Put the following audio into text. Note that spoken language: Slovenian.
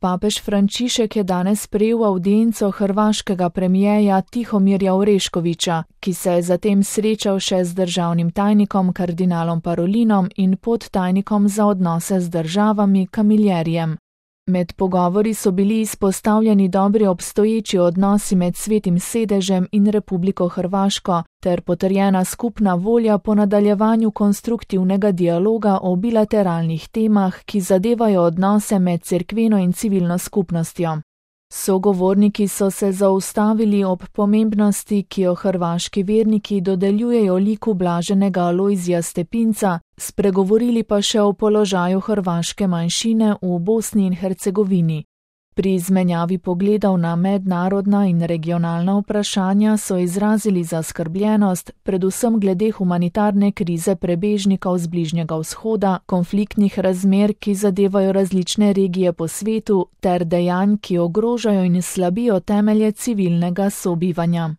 Papež Frančišek je danes sprejel avdienco hrvaškega premierja Tihomirja Oreškovića, ki se je zatem srečal še z državnim tajnikom kardinalom Parolinom in podtajnikom za odnose z državami Camillerijem. Med pogovori so bili izpostavljeni dobri obstoječi odnosi med Svetim sedežem in Republiko Hrvaško ter potrjena skupna volja po nadaljevanju konstruktivnega dialoga o bilateralnih temah, ki zadevajo odnose med cerkveno in civilno skupnostjo. Sogovorniki so se zaustavili ob pomembnosti, ki jo hrvaški verniki dodeljujejo liku blaženega Alojzija Stepinca, spregovorili pa še o položaju hrvaške manjšine v Bosni in Hercegovini. Pri izmenjavi pogledov na mednarodna in regionalna vprašanja so izrazili zaskrbljenost, predvsem glede humanitarne krize prebežnikov z Bližnjega vzhoda, konfliktnih razmer, ki zadevajo različne regije po svetu, ter dejanj, ki ogrožajo in slabijo temelje civilnega sobivanja.